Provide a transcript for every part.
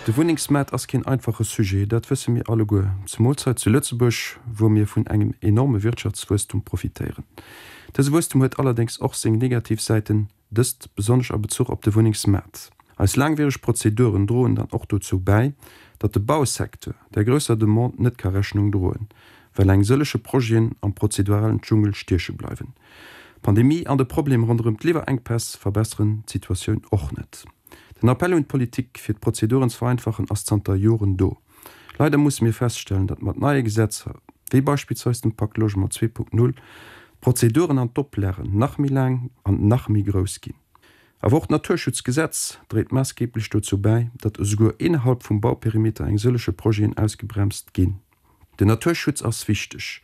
De Wunnengsmaart ass keen einfache Sujet, dat wësse mir alleguer, zemools hei zu Lëtzebuerg, wou mir vun engem enorme Wirtschaftswuesstum profitéieren. Dëse Wuesstum huet allerdéngs och seng negativ Säiten, dëst besonnesch a Bezuch op de Wunnengsmaart. Eis laangwiereg Prozeduren droen dann och dozou bäi, datt de Bausecteur där grousser Demande net ka Rechnung droen, well eng sëllege Projeten am prozeduralen Dschungel stieche bleiwen. D'Pandemie an de Problem ronderëm d'Liwwerenkpäss verbesseren d'Situatioun och net. Den Appell un d'Politik, fir d'Prozeduren ze vereinfachen, ass zanter Joren do. Leider musse mir feststellen, datt mat neie Gesetzer, wéi beispillsweis dem Pak Logement 2.0, d'Prozeduren an d'Oplagen nach méi laang an nach méi grouss ginn. Awer och d'Naturschutzgesetz dréit maassgeeblech dozou bäi, datt esouguer innerhalb vum Bauperimeter eng sëllege Projeten ausgebremst ginn. Den Naturschutz ass wichteg.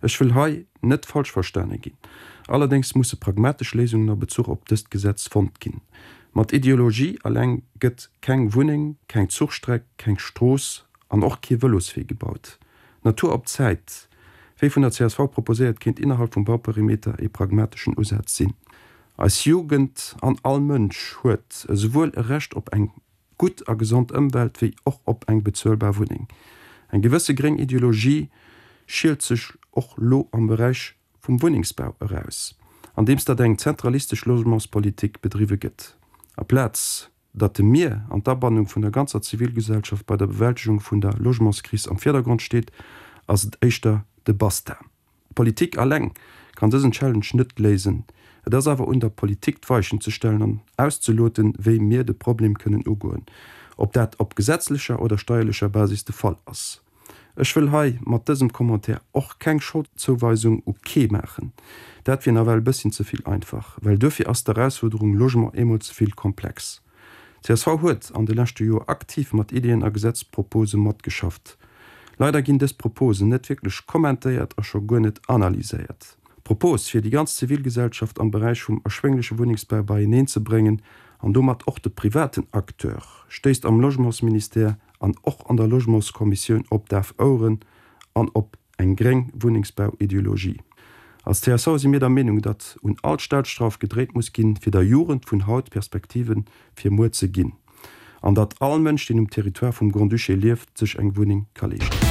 Ech wëll hei net falsch verstane ginn. Allerdéngs musse pragmatesch Léisungen a Bezuch op dëst Gesetz fonnt ginn. Mat Ideologie eleng gëtt keng Wunneng, keng Zuchstreck, keng Strooss an och kee Vëloswee gebaut. Natur op Zäit, wéi vun der csv proposéiert, kéint innerhalb vum Bauperimeter ee pragmateschen Usaz sinn. Eis Jugend an all Mënsch huet esouwuel e Recht op eng gutt a gesond Ëmwelt wéi och op eng bezuelbar Wunneng. Eng gewësse gréng Ideologie schielt sech och lo am Beräich vum Wunnengsbau eraus, andeems datt eng zentralistesch Logementspolitik bedriwwe gëtt. Aplaz datt de Mir an d'Abannung vun der ganzer Zivilgesellschaft bei der Bewältegung vun der Logementskris am Virdergrond steet, ass et éischter de Basta. D'Politik alleng kann dësen Challenge net léisen. Et ass awer un der Politik d'Weichen ze stellen an auszeloten, wéi mir de Problem kënnen ugoen, ob dat op gesetzlecher oder steierlecher Basis de Fall ass. Ech wëll hei mat dësem Commentaire och keng Scholdzouweisung u kee maachen. Dat wier nawell e bësschen ze vill einfach, well duerfir ass d'Erausfuerderung Logement eemol ze vill komplex. Csv huet an de leschte Joer aktiv mat Ideeën a Gesetzpropose matgeschafft. Leider ginn dës Proposen net wierklech kommentéiert a scho guer net analyséiert. D'Propos, fir déi ganz Zivilgesellschaft am Beräich vum erschwéngleche Wunnengsbau beieneen ze bréngen an domat och de privaten Acteur, stéisst am Logementsministère an och an der Logementskommissioun op daf Oueren an op Eng gréng Wunnengsbauideologie. Als csv si mir der Meenung, datt un all Stellschrauf gedréit muss ginn, fir der Jugend vun haut Perspektive fir muer ze ginn, an datt all Mënsch, deen um Territoire vum Grand-Duché lieft, sech eng Wunneng ka leeschten.